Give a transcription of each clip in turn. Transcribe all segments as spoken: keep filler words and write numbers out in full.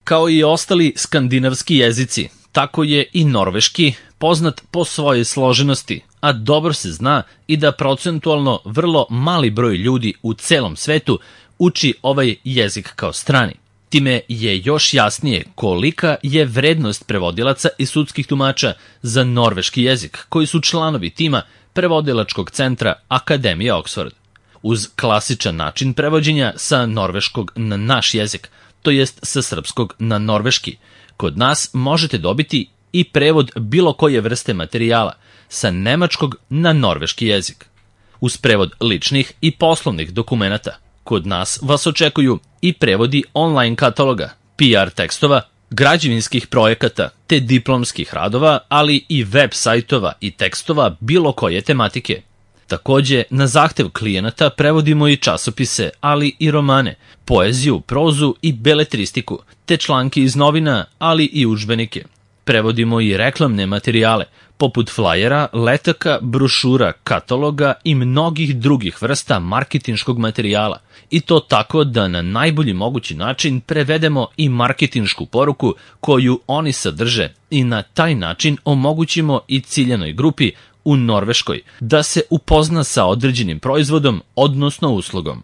Kao i ostali skandinavski jezici, tako je i norveški poznat po svojoj složenosti, a dobro se zna i da procentualno vrlo mali broj ljudi u celom svetu uči ovaj jezik kao strani. Time je još jasnije kolika je vrednost prevodilaca i sudskih tumača za norveški jezik, koji su članovi tima prevodilačkog centra Akademije Oxford. Uz klasičan način prevođenja sa norveškog na naš jezik, to jest sa srpskog na norveški, kod nas možete dobiti i prevod bilo koje vrste materijala sa nemačkog na norveški jezik. Uz prevod ličnih i poslovnih dokumenata, kod nas vas očekuju i prevodi online kataloga, P R tekstova, građevinskih projekata te diplomskih radova, ali i web sajtova i tekstova bilo koje tematike. Takođe, na zahtev klijenata prevodimo i časopise, ali i romane, poeziju, prozu i beletristiku, te članke iz novina, ali i udžbenike. Prevodimo i reklamne materijale, poput flajera, letaka, brošura, kataloga i mnogih drugih vrsta marketinškog materijala. I to tako da na najbolji mogući način prevedemo i marketinšku poruku koju oni sadrže i na taj način omogućimo i ciljanoj grupi u Norveškoj da se upozna sa određenim proizvodom, odnosno uslugom.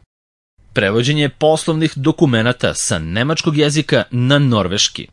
Prevođenje poslovnih dokumenata sa nemačkog jezika na norveški.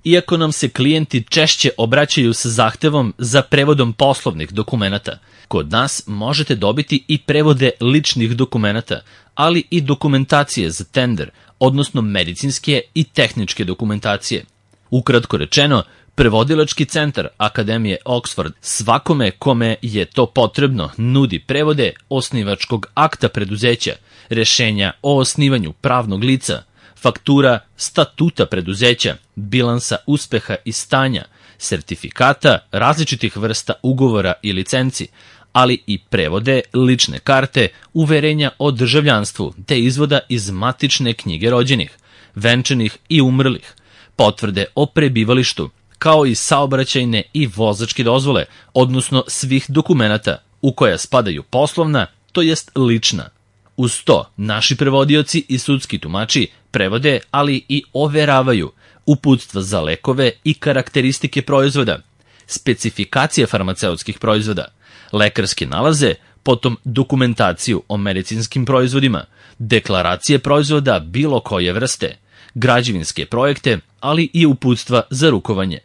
Iako nam se klijenti češće obraćaju sa zahtevom za prevodom poslovnih dokumenata, kod nas možete dobiti i prevode ličnih dokumenata, ali i dokumentacije za tender, odnosno medicinske i tehničke dokumentacije. Ukratko rečeno, prevodilački centar Akademije Oxford svakome kome je to potrebno nudi prevode osnivačkog akta preduzeća, rešenja o osnivanju pravnog lica, faktura statuta preduzeća, bilansa uspeha i stanja, sertifikata različitih vrsta ugovora i licenci, ali i prevode lične karte, uverenja o državljanstvu te izvoda iz matične knjige rođenih, venčanih i umrlih, potvrde o prebivalištu, kao i saobraćajne i vozačke dozvole, odnosno svih dokumenata u koja spadaju poslovna, to jest lična. Uz to, naši prevodioci i sudski tumači prevode, ali i overavaju uputstva za lekove i karakteristike proizvoda, specifikacije farmaceutskih proizvoda, lekarske nalaze, potom dokumentaciju o medicinskim proizvodima, deklaracije proizvoda bilo koje vrste, građevinske projekte, ali i uputstva za rukovanje.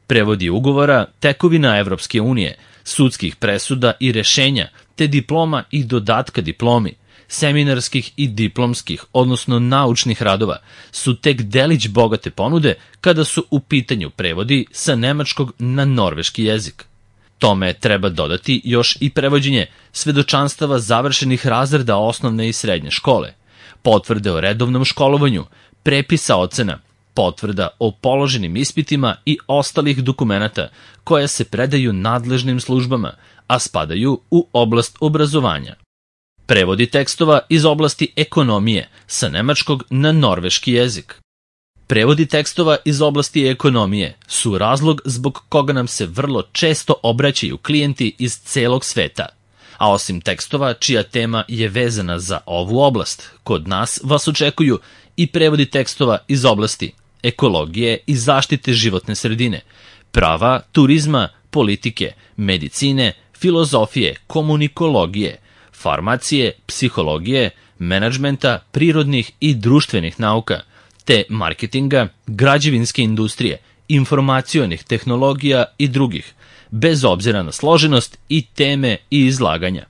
Prevodi ugovora, tekovina Evropske unije, sudskih presuda i rešenja, te diploma i dodatka diplomi, seminarskih i diplomskih, odnosno naučnih radova, su tek delić bogate ponude kada su u pitanju prevodi sa nemačkog na norveški jezik. Tome treba dodati još i prevođenje svedočanstava završenih razreda osnovne i srednje škole, potvrde o redovnom školovanju, prepisa ocena, potvrda o položenim ispitima i ostalih dokumenata koja se predaju nadležnim službama, a spadaju u oblast obrazovanja. Prevodi tekstova iz oblasti ekonomije sa nemačkog na norveški jezik. Prevodi tekstova iz oblasti ekonomije su razlog zbog koga nam se vrlo često obraćaju klijenti iz celog sveta. A osim tekstova čija tema je vezana za ovu oblast, kod nas vas očekuju i prevodi tekstova iz oblasti ekologije i zaštite životne sredine, prava, turizma, politike, medicine, filozofije, komunikologije, farmacije, psihologije, menadžmenta, prirodnih i društvenih nauka, te marketinga, građevinske industrije, informacionih tehnologija i drugih, bez obzira na složenost i teme i izlaganja.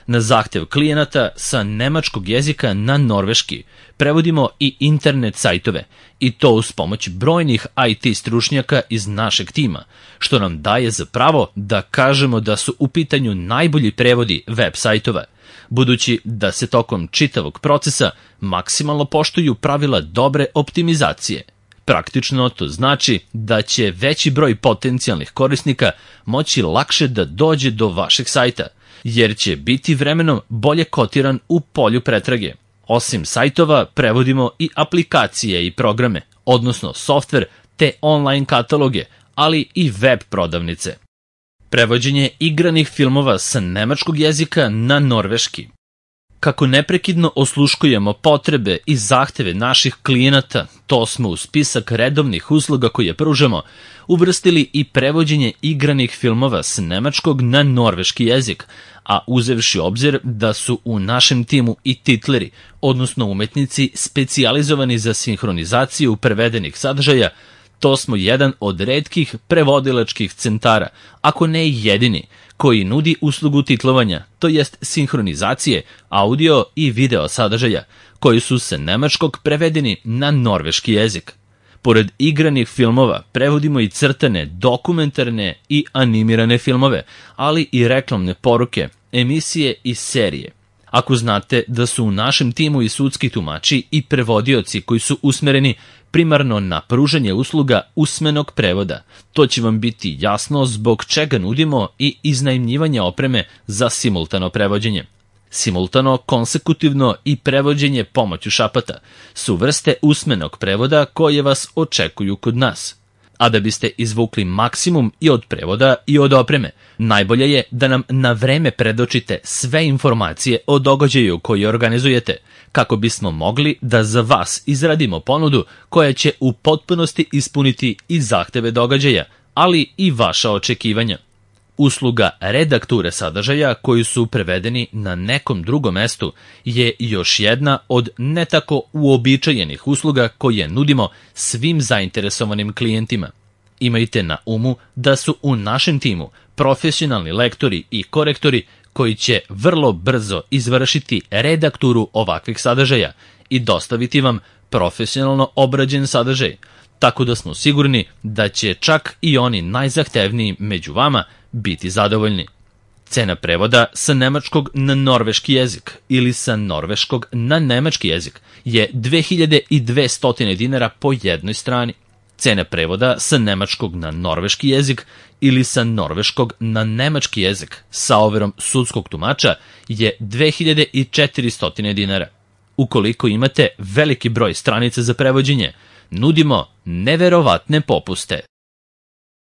Na zahtev klijenata sa nemačkog jezika na norveški prevodimo i internet sajtove, i to uz pomoć brojnih I T stručnjaka iz našeg tima, što nam daje za pravo da kažemo da su u pitanju najbolji prevodi web sajtova, budući da se tokom čitavog procesa maksimalno poštuju pravila dobre optimizacije. Praktično to znači da će veći broj potencijalnih korisnika moći lakše da dođe do vašeg sajta, jer će biti vremenom bolje kotiran u polju pretrage. Osim sajtova, prevodimo i aplikacije i programe, odnosno softver te online kataloge, ali i web prodavnice. Prevođenje igranih filmova sa nemačkog jezika na norveški. Kako neprekidno osluškujemo potrebe i zahteve naših klijenata, to smo u spisak redovnih usluga koje pružamo uvrstili i prevođenje igranih filmova s nemačkog na norveški jezik, a uzevši obzir da su u našem timu i titleri, odnosno umetnici specijalizovani za sinhronizaciju prevedenih sadržaja, to smo jedan od retkih prevodilačkih centara, ako ne i jedini, koji nudi uslugu titlovanja, to jest sinhronizacije audio i video sadržaja, koji su sa nemačkog prevedeni na norveški jezik. Pored igranih filmova, prevodimo i crtane, dokumentarne i animirane filmove, ali i reklamne poruke, emisije i serije. Ako znate da su u našem timu i sudski tumači i prevodioci koji su usmereni primarno na pružanje usluga usmenog prevoda, to će vam biti jasno zbog čega nudimo i iznajmljivanje opreme za simultano prevođenje. Simultano, konsekutivno i prevođenje pomoću šapata su vrste usmenog prevoda koje vas očekuju kod nas. A da biste izvukli maksimum i od prevoda i od opreme, najbolje je da nam na vreme predočite sve informacije o događaju koji organizujete, kako bismo mogli da za vas izradimo ponudu koja će u potpunosti ispuniti i zahteve događaja, ali i vaša očekivanja. Usluga redakture sadržaja koji su prevedeni na nekom drugom mestu je još jedna od ne tako uobičajenih usluga koje nudimo svim zainteresovanim klijentima. Imajte na umu da su u našem timu profesionalni lektori i korektori koji će vrlo brzo izvršiti redakturu ovakvih sadržaja i dostaviti vam profesionalno obrađen sadržaj, tako da smo sigurni da će čak i oni najzahtevniji među vama biti zadovoljni. Cena prevoda sa nemačkog na norveški jezik ili sa norveškog na nemački jezik je dve hiljade dvesta dinara po jednoj strani. Cena prevoda sa nemačkog na norveški jezik ili sa norveškog na nemački jezik sa overom sudskog tumača je dve hiljade četiristo dinara. Ukoliko imate veliki broj stranica za prevođenje, nudimo neverovatne popuste.